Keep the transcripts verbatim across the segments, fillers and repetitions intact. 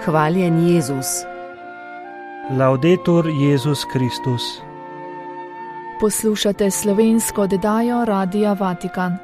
Hvaljen Jezus. Laudetur Jezus Kristus. Poslušate slovensko oddajo Radia Vatikan.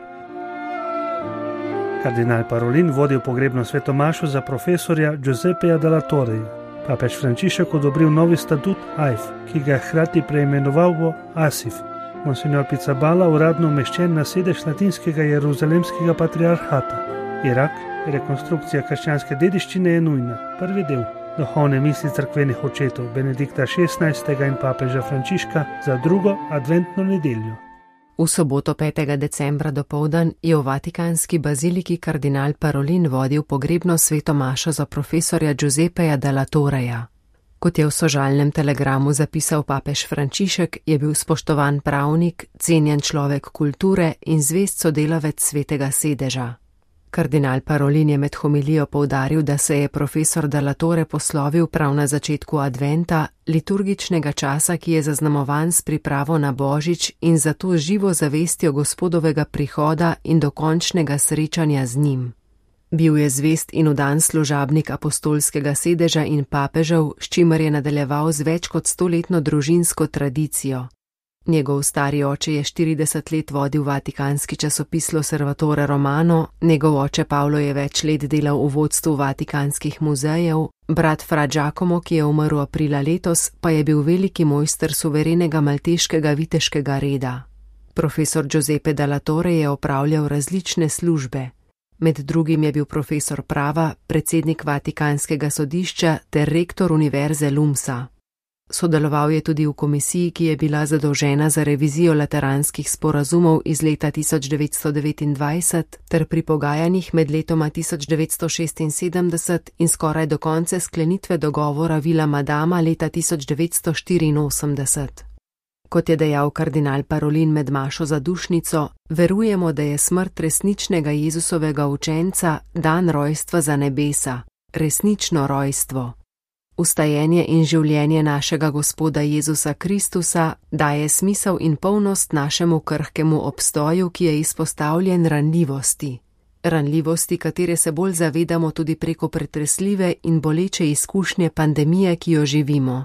Kardinal Parolin vodil pogrebno svetomašo za profesorja Giuseppeja della Torreja. Papež Frančišek odobril novi statut A I F, ki ga je hkrati preimenoval v A S I F. Monsignor Pizzaballa uradno umeščen na sedež latinskega jeruzalemskega patriarhata. Irak, rekonstrukcija krščanske dediščine je nujna. Prvi del. Duhovne misli cerkvenih očetov Benedikta šestnajstega in papeža Frančiška za drugo adventno nedeljo. V soboto petega decembra dopoldan je v vatikanski baziliki kardinal Parolin vodil pogrebno svetomašo za profesorja Giuseppeja della Torreja. Kot je v sožalnem telegramu zapisal papež Frančišek, je bil spoštovan pravnik, cenjen človek kulture in zvest sodelavec svetega sedeža. Kardinal Parolin je med homilijo poudaril, da se je profesor della Torre poslovil prav na začetku adventa, liturgičnega časa, ki je zaznamovan s pripravo na Božič in zato živo zavestjo Gospodovega prihoda in dokončnega srečanja z njim. Bil je zvest in vdan služabnik apostolskega sedeža in papežev, s čimer je nadaljeval z več kot stoletno družinsko tradicijo. Njegov stari oče je štirideset let vodil vatikanski časopis L'Osservatore Romano, njegov oče Pavlo je več let delal v vodstvu vatikanskih muzejev, brat Fra Giacomo, ki je umrl aprila letos, pa je bil veliki mojster suverenega malteškega viteškega reda. Profesor Giuseppe della Torre je opravljal različne službe. Med drugim je bil profesor prava, predsednik Vatikanskega sodišča ter rektor univerze Lumsa. Sodeloval je tudi v komisiji, ki je bila zadolžena za revizijo lateranskih sporazumov iz leta tisoč devetsto devetindvajset ter pri pogajanjih med letoma tisoč devetsto šestinsedemdeset in skoraj do konca sklenitve dogovora Vila Madama leta tisoč devetsto štiriinosemdeset. Kot je dejal kardinal Parolin med mašo za dušnico, verujemo, da je smrt resničnega Jezusovega učenca dan rojstva za nebesa, resnično rojstvo. Vstajenje in življenje našega Gospoda Jezusa Kristusa daje smisel in polnost našemu krhkemu obstoju, ki je izpostavljen ranljivosti. Ranljivosti, katere se bolj zavedamo tudi preko pretresljive in boleče izkušnje pandemije, ki jo živimo.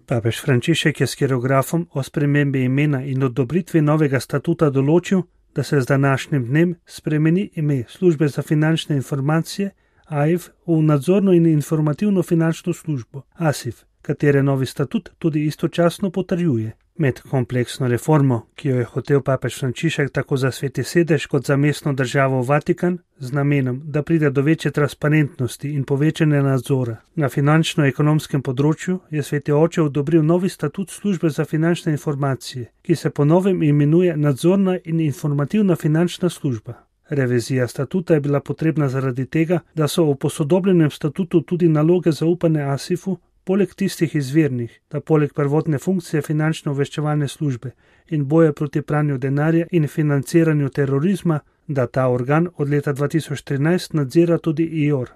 Papež Frančišek je s hierografom o spremembi imena in odobritvi novega statuta določil, da se z današnjim dnem spremeni ime Službe za finančne informacije A I F v nadzorno in informativno finančno službo A S I F, katere novi statut tudi istočasno potrjuje. Med kompleksno reformo, ki jo je hotel papež Frančišek tako za sveti sedež kot za mestno državo Vatikan, z namenom, da pride do večje transparentnosti in povečanja nadzora na finančno-ekonomskem področju, je sveti oče odobril novi statut Službe za finančne informacije, ki se po novem imenuje Nadzorna in informativna finančna služba. Revizija statuta je bila potrebna zaradi tega, da so v posodobljenem statutu tudi naloge zaupane A S I F-u, poleg tistih izvirnih, da poleg prvotne funkcije finančno-obveščevalne službe in boja proti pranju denarja in financiranju terorizma, da ta organ od leta dva tisoč trinajst nadzira tudi I O R.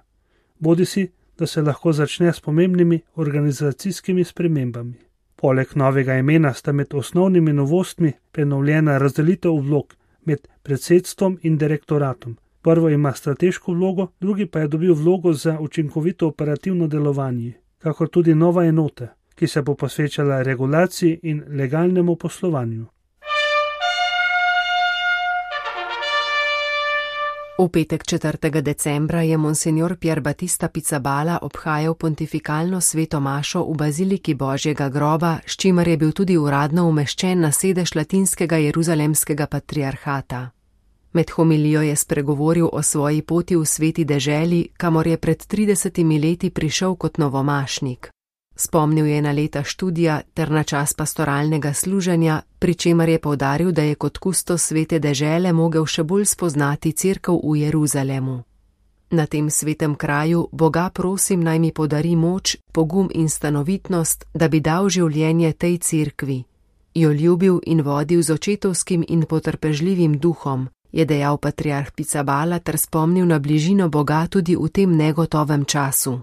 Bodisi, da se lahko začne s pomembnimi organizacijskimi spremembami. Poleg novega imena sta med osnovnimi novostmi prenovljena razdelitev vlog med predsedstvom in direktoratom. Prvo ima strateško vlogo, drugi pa je dobil vlogo za učinkovito operativno delovanje, kakor tudi nova enota, ki se bo posvečala regulaciji in legalnemu poslovanju. V petek četrtega decembra je monsignor Pier Battista Pizzaballa obhajal pontifikalno sveto mašo v baziliki Božjega groba, s čimer je bil tudi uradno umeščen na sedež latinskega jeruzalemskega patriarhata. Med homilijo je spregovoril o svoji poti v sveti deželi, kamor je pred tridesetimi leti prišel kot novomašnik. Spomnil je na leta študija ter na čas pastoralnega služenja, pri čemer je poudaril, da je kot kustos svete dežele mogel še bolj spoznati cerkev v Jeruzalemu. Na tem svetem kraju Boga prosim, naj mi podari moč, pogum in stanovitnost, da bi dal življenje tej cerkvi, jo ljubil in vodil z očetovskim in potrpežljivim duhom, je dejal patriarh Pizzaballa ter spomnil na bližino Boga tudi v tem negotovem času.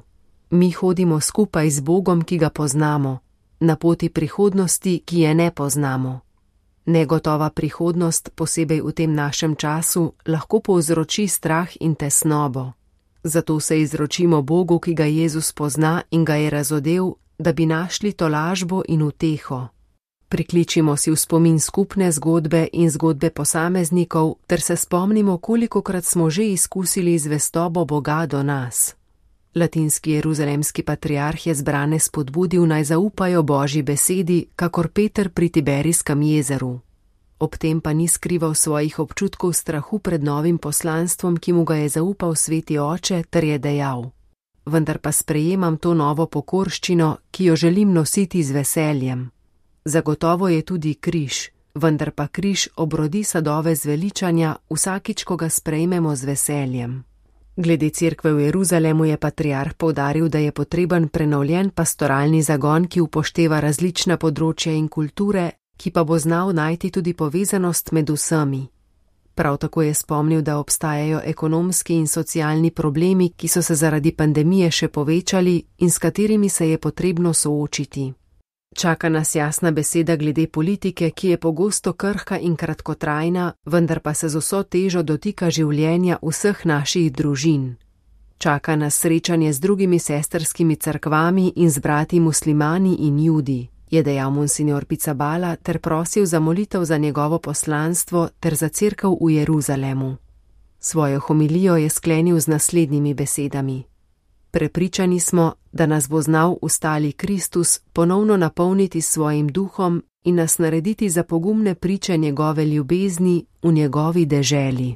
Mi hodimo skupaj z Bogom, ki ga poznamo, na poti prihodnosti, ki je ne poznamo. Negotova prihodnost, posebej v tem našem času, lahko povzroči strah in tesnobo. Zato se izročimo Bogu, ki ga Jezus pozna in ga je razodel, da bi našli tolažbo in uteho. Prikličimo si v spomin skupne zgodbe in zgodbe posameznikov, ter se spomnimo, kolikokrat smo že izkusili zvestobo Boga do nas. Latinski jeruzalemski patriarh je zbrane spodbudil, naj zaupajo Božji besedi, kakor Peter pri Tiberijskem jezeru. Ob tem pa ni skrival svojih občutkov strahu pred novim poslanstvom, ki mu ga je zaupal Sveti Oče, ter je dejal: vendar pa sprejemam to novo pokorščino, ki jo želim nositi z veseljem. Zagotovo je tudi križ, vendar pa križ obrodi sadove zveličanja vsakič, ko ga sprejmemo z veseljem. Glede cerkve v Jeruzalemu je patriarh poudaril, da je potreben prenovljen pastoralni zagon, ki upošteva različna področja in kulture, ki pa bo znal najti tudi povezanost med vsemi. Prav tako je spomnil, da obstajajo ekonomski in socialni problemi, ki so se zaradi pandemije še povečali in s katerimi se je potrebno soočiti. Čaka nas jasna beseda glede politike, ki je pogosto krhka in kratkotrajna, vendar pa se z vso težo dotika življenja vseh naših družin. Čaka nas srečanje z drugimi sestrskimi cerkvami in z brati muslimani in judi, je dejal monsignor Pizzaballa ter prosil za molitev za njegovo poslanstvo ter za cerkev v Jeruzalemu. Svojo homilijo je sklenil z naslednjimi besedami: prepričani smo, da nas bo znal ustali Kristus ponovno napolniti s svojim duhom in nas narediti za pogumne priče njegove ljubezni v njegovi deželi.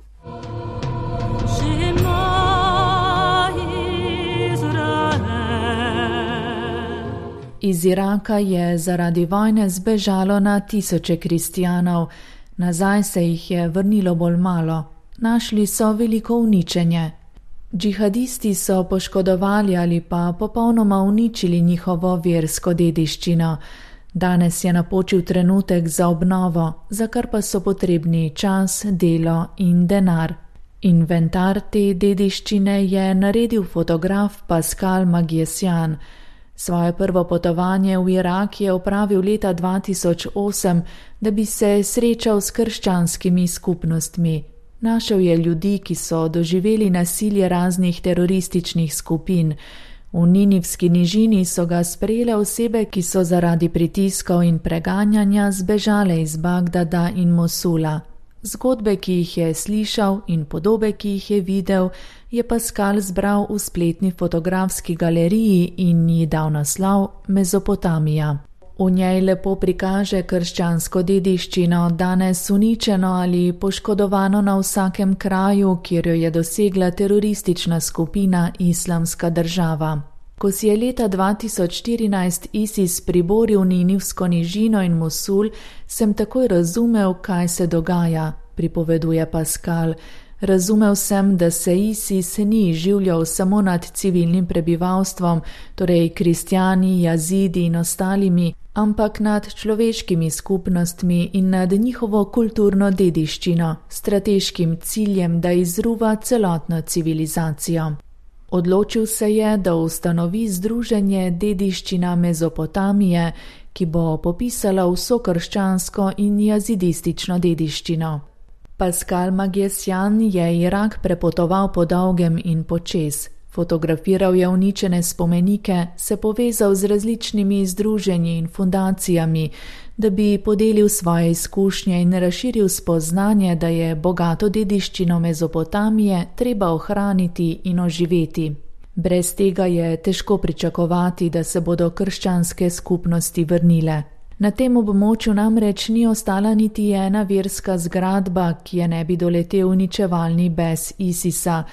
Iz Iraka je zaradi vojne zbežalo na tisoče kristjanov, nazaj se jih je vrnilo bolj malo, našli so veliko uničenje. Džihadisti so poškodovali ali pa popolnoma uničili njihovo versko dediščino. Danes je napočil trenutek za obnovo, za kar pa so potrebni čas, delo in denar. Inventar te dediščine je naredil fotograf Pascal Magiesian. Svoje prvo potovanje v Irak je opravil leta dva tisoč osem, da bi se srečal s krščanskimi skupnostmi. Našel je ljudi, ki so doživeli nasilje raznih terorističnih skupin. V Ninivski nižini so ga sprejele osebe, ki so zaradi pritiskov in preganjanja zbežale iz Bagdada in Mosula. Zgodbe, ki jih je slišal, in podobe, ki jih je videl, je Pascal zbral v spletni fotografski galeriji in ji dal naslov Mezopotamija. V njej lepo prikaže krščansko dediščino, danes uničeno ali poškodovano na vsakem kraju, kjer jo je dosegla teroristična skupina Islamska država. Ko si je leta dva tisoč štirinajst ISIS priboril Ninivsko nižino in Mosul, sem takoj razumel, kaj se dogaja, pripoveduje Pascal. Razumel sem, da se ISIS ni življal samo nad civilnim prebivalstvom, torej kristjani, jazidi in ostalimi, ampak nad človeškimi skupnostmi in nad njihovo kulturno dediščino, strateškim ciljem, da izruva celotno civilizacijo. Odločil se je, da ustanovi združenje Dediščina Mezopotamije, ki bo popisala vso krščansko in jazidistično dediščino. Pascal Magiesian je Irak prepotoval po dolgem in počez. Fotografiral je uničene spomenike, se povezal z različnimi združenji in fundacijami, da bi podelil svoje izkušnje in razširil spoznanje, da je bogato dediščino Mezopotamije treba ohraniti in oživeti. Brez tega je težko pričakovati, da se bodo krščanske skupnosti vrnile. Na tem območju namreč ni ostala niti ena verska zgradba, ki je ne bi doletel uničevalni bes ISIS-a.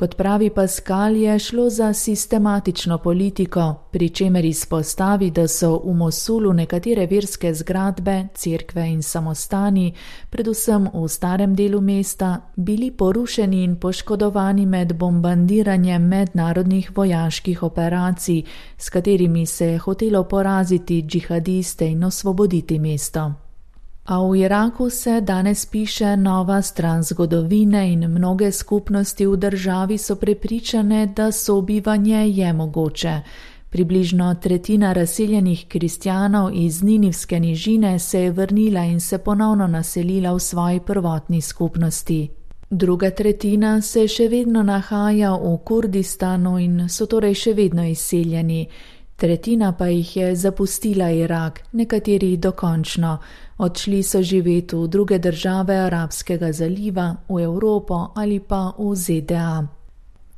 Kot pravi Pascal, je šlo za sistematično politiko, pri čemer izpostavi, da so v Mosulu nekatere verske zgradbe, cerkve in samostani, predvsem v starem delu mesta, bili porušeni in poškodovani med bombardiranjem mednarodnih vojaških operacij, s katerimi se je hotelo poraziti džihadiste in osvoboditi mesto. A v Iraku se danes piše nova stran zgodovine in mnoge skupnosti v državi so prepričane, da sobivanje je mogoče. Približno tretjina razseljenih kristjanov iz Ninivske nižine se je vrnila in se ponovno naselila v svoji prvotni skupnosti. Druga tretjina se še vedno nahaja v Kurdistanu in so torej še vedno izseljeni. Tretjina pa jih je zapustila Irak, nekateri dokončno. Odšli so živeti v druge države Arabskega zaliva, v Evropo ali pa v Z D A.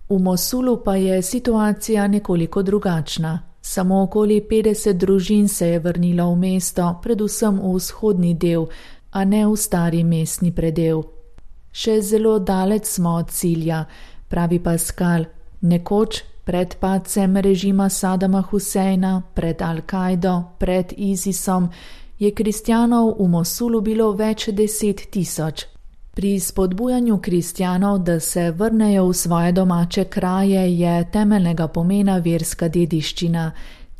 V Mosulu pa je situacija nekoliko drugačna. Samo okoli petdeset družin se je vrnilo v mesto, predvsem v vzhodni del, a ne v stari mestni predel. Še zelo daleč smo od cilja, pravi Pascal. Nekoč, pred padcem režima Sadama Huseina, pred Al-Kaido, pred ISISom, je kristjanov v Mosulu bilo več deset tisoč. Pri spodbujanju kristjanov, da se vrnejo v svoje domače kraje, je temeljnega pomena verska dediščina.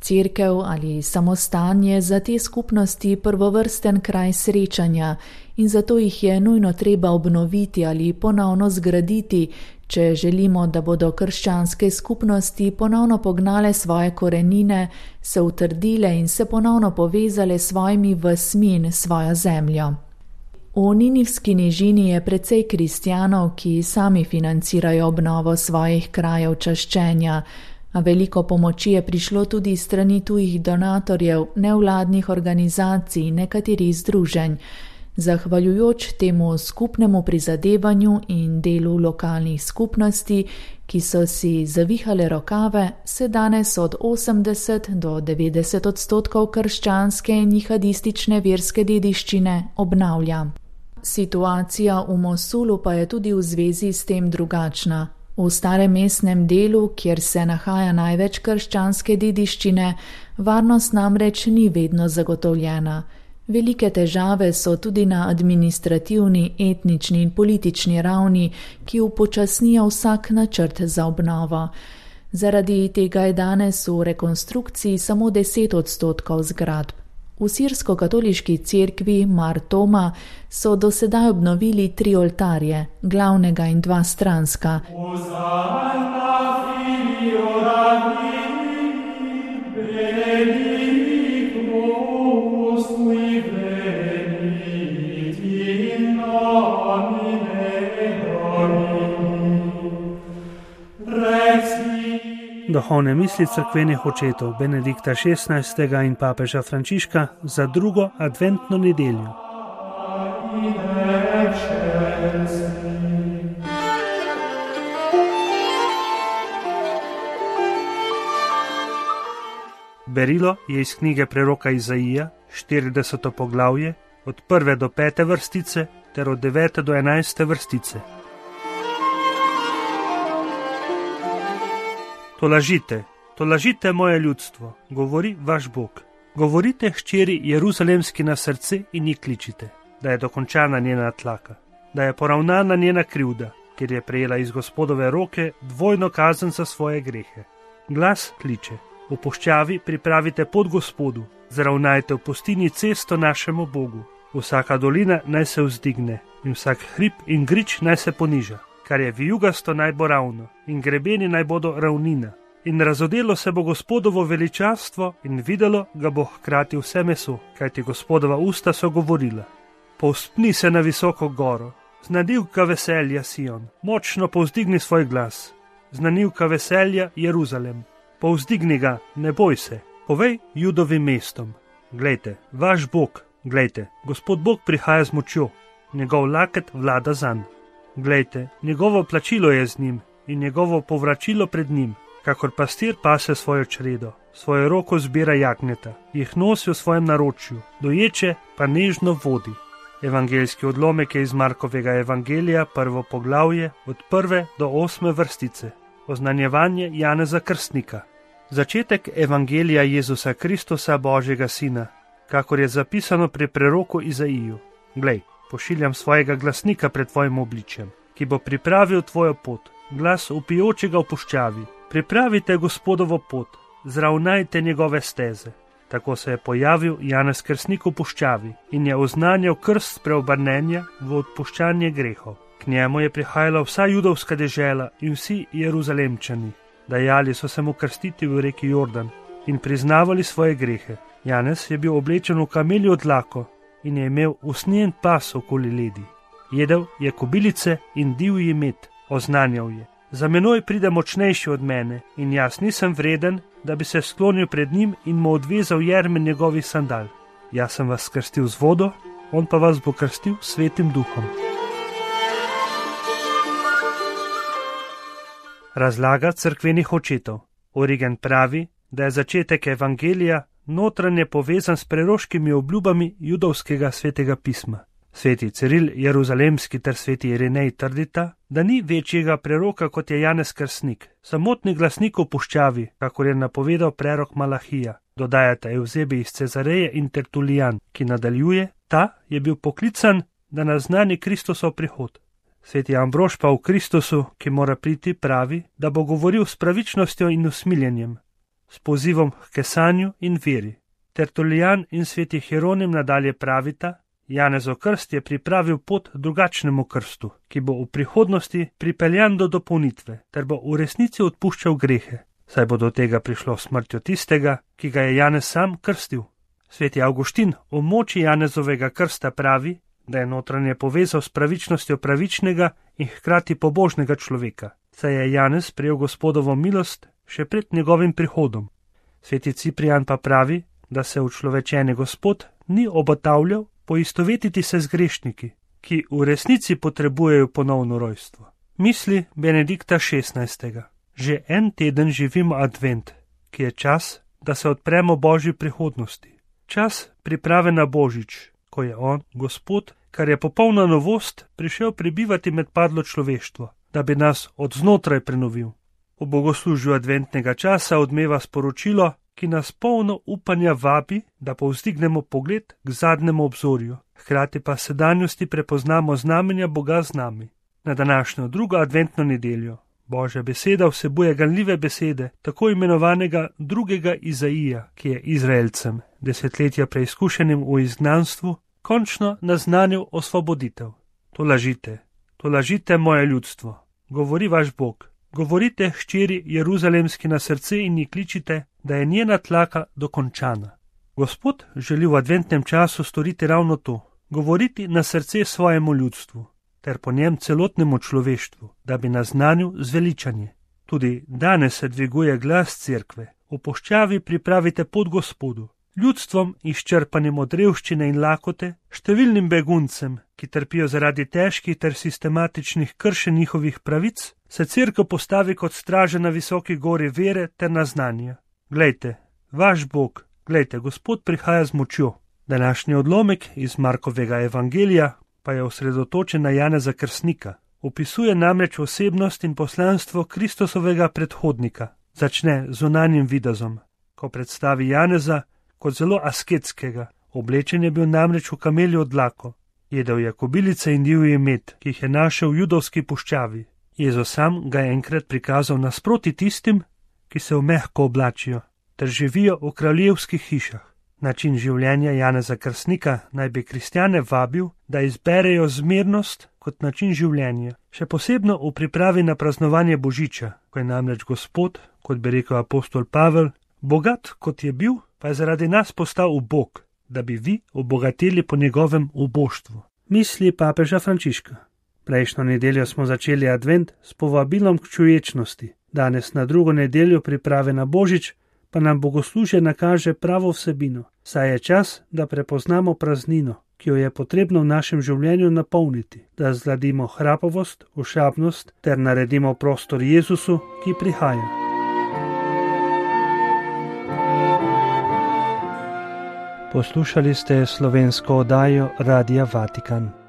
Cerkev ali samostan je za te skupnosti prvovrsten kraj srečanja in zato jih je nujno treba obnoviti ali ponovno zgraditi, če želimo, da bodo krščanske skupnosti ponovno pognale svoje korenine, se utrdile in se ponovno povezale s svojimi vasmi in svojo zemljo. V Ninivski nižini je precej kristjanov, ki sami financirajo obnovo svojih krajev čaščenja, a veliko pomoči je prišlo tudi strani tujih donatorjev, nevladnih organizacij in nekaterih združenj. Zahvaljujoč temu skupnemu prizadevanju in delu lokalnih skupnosti, ki so si zavihale rokave, se danes od osemdeset do devetdeset odstotkov krščanske in jihadistične verske dediščine obnavlja. Situacija v Mosulu pa je tudi v zvezi s tem drugačna. V starem mestnem delu, kjer se nahaja največ krščanske dediščine, varnost namreč ni vedno zagotovljena. Velike težave so tudi na administrativni, etnični in politični ravni, ki upočasnijo vsak načrt za obnovo. Zaradi tega je danes v rekonstrukciji samo deset odstotkov zgradb. V sirsko-katoliški cerkvi Mar Toma so do sedaj obnovili tri oltarje, glavnega in dva stranska. Duhovne misli cerkvenih očetov Benedikta šestnajstega in papeža Frančiška za drugo adventno nedeljo. Berilo je iz knjige preroka Izaija, štirideseto poglavje, od prve do pete vrstice ter od devete do enajste vrstice. Tolažite, tolažite moje ljudstvo, govori vaš Bog. Govorite hčeri Jeruzalemski na srce in ji kličite, da je dokončana njena tlaka, da je poravnana njena krivda, ker je prejela iz Gospodove roke dvojno kazen za svoje grehe. Glas kliče, v puščavi pripravite pot Gospodu, zravnajte v pustini cesto našemu Bogu. Vsaka dolina naj se vzdigne in vsak hrib in grič naj se poniža. Kar je vijugasto naj bo ravno in grebeni naj bodo ravnina. In razodelo se bo Gospodovo veličastvo in videlo ga bo hkrati vse meso, kajti Gospodova usta so govorila. Povzpni se na visoko goro, znanilka veselja Sion, močno povzdigni svoj glas, znanilka veselja Jeruzalem. Povzdigni ga, ne boj se, povej Judovim mestom. Glejte, vaš Bog, glejte, Gospod Bog prihaja z močjo, njegov laket vlada zanj. Glejte, njegovo plačilo je z njim in njegovo povračilo pred njim, kakor pastir pase svojo čredo, svojo roko zbira jagnjeta, jih nosi v svojem naročju, doječe pa nežno vodi. Evangeljski odlomek je iz Markovega evangelija, prvo poglavje, od prve do osme vrstice, oznanjevanje Janeza Krstnika. Začetek evangelija Jezusa Kristusa, Božjega Sina, kakor je zapisano pri preroku Izaiju. Glej, pošiljam svojega glasnika pred tvojim obličjem, ki bo pripravil tvojo pot, glas vpijočega v puščavi. Pripravite Gospodovo pot, zravnajte njegove steze. Tako se je pojavil Janez Krstnik v puščavi in je oznanjal krst preobrnenja v odpuščanje grehov. K njemu je prihajala vsa judovska dežela in vsi Jeruzalemčani. Dajali so se mu krstiti v reki Jordan in priznavali svoje grehe. Janez je bil oblečen v kameljo dlako in je imel usnjen pas okoli ledi. Jedel je kobilice in divji med, oznanjal je: za menoj pride močnejši od mene in jaz nisem vreden, da bi se sklonil pred njim in mu odvezal jerme njegovih sandal. Jaz sem vas krstil z vodo, on pa vas bo krstil s Svetim duhom. Razlaga cerkvenih očetov. Origen pravi, da je začetek evangelija notranje povezan s preroškimi obljubami judovskega svetega pisma. Sveti Ciril Jeruzalemski ter sveti Irinej trdita, da ni večjega preroka kot je Janez Krstnik, samotni glasnik v puščavi, kakor je napovedal prerok Malahija. Dodajata Evzebi iz Cezareje in Tertulijan, ki nadaljuje: ta je bil poklican, da naznani Kristusov prihod. Sveti Ambrož pa v Kristusu, ki mora priti, pravi, da bo govoril s pravičnostjo in usmiljenjem, s pozivom k kesanju in veri. Tertulijan in sveti Hieronim nadalje pravita: Janezov krst je pripravil pot drugačnemu krstu, ki bo v prihodnosti pripeljan do dopolnitve, ter bo v resnici odpuščal grehe, saj bo do tega prišlo smrtjo tistega, ki ga je Janez sam krstil. Sveti Avguštin o moči Janezovega krsta pravi, da je notranje povezal s pravičnostjo pravičnega in hkrati pobožnega človeka, saj je Janez prejel Gospodovo milost še pred njegovim prihodom. Sveti Ciprijan pa pravi, da se učlovečeni Gospod ni obotavljal poistovetiti se z grešniki, ki v resnici potrebujejo ponovno rojstvo. Misli Benedikta šestnajstega. Že en teden živimo advent, ki je čas, da se odpremo Božji prihodnosti. Čas priprave na Božič, ko je on, Gospod, kar je popolna novost, prišel prebivati med padlo človeštvo, da bi nas od znotraj prenovil. V bogoslužju adventnega časa odmeva sporočilo, ki nas polno upanja vabi, da povzdignemo pogled k zadnjemu obzorju, hkrati pa sedanjosti prepoznamo znamenja Boga z nami. Na današnjo drugo adventno nedeljo Božja beseda vsebuje ganljive besede tako imenovanega drugega Izaija, ki je Izraelcem, desetletja preizkušenim v izgnanstvu, končno naznanil osvoboditev. To lažite, to lažite moje ljudstvo, govori vaš Bog. Govorite hčeri Jeruzalemski na srce in ji kličite, da je njena tlaka dokončana. Gospod želi v adventnem času storiti ravno to, govoriti na srce svojemu ljudstvu, ter po njem celotnemu človeštvu, da bi naznanil zveličanje. Tudi danes se dviguje glas cerkve. V puščavi pripravite pot Gospodu, ljudstvom izčrpanim od revščine in lakote, številnim beguncem, ki trpijo zaradi težkih ter sistematičnih kršenj njihovih pravic, se cerkev postavi kot straža na visoki gori vere ter naznanja. Glejte, vaš Bog, glejte, Gospod prihaja z močjo. Današnji odlomek iz Markovega evangelija pa je osredotočen na Janeza Krstnika. Opisuje namreč osebnost in poslanstvo Kristusovega predhodnika. Začne z zunanjim videzom, ko predstavi Janeza kot zelo asketskega. Oblečen je bil namreč v kameljo dlako. Jedel je kobilice in divji med, ki jih je našel v judovski puščavi. Jezus sam ga je enkrat prikazal nasproti tistim, ki se v mehko oblačijo, ter živijo v kraljevskih hišah. Način življenja Janeza Krstnika naj bi kristjane vabil, da izberejo zmernost kot način življenja, še posebno v pripravi na praznovanje Božiča, ko je namreč Gospod, kot bi rekel apostol Pavel, bogat kot je bil, pa je zaradi nas postal ubog, da bi vi obogateli po njegovem uboštvu. Misli papeža Frančiška. Prejšnjo nedeljo smo začeli advent s povabilom k čuječnosti. Danes na drugo nedeljo priprave na Božič pa nam bogoslužje nakaže pravo vsebino, saj je čas, da prepoznamo praznino, ki jo je potrebno v našem življenju napolniti, da zgladimo hrapavost, ošabnost ter naredimo prostor Jezusu, ki prihaja. Poslušali ste slovensko oddajo Radia Vatikan.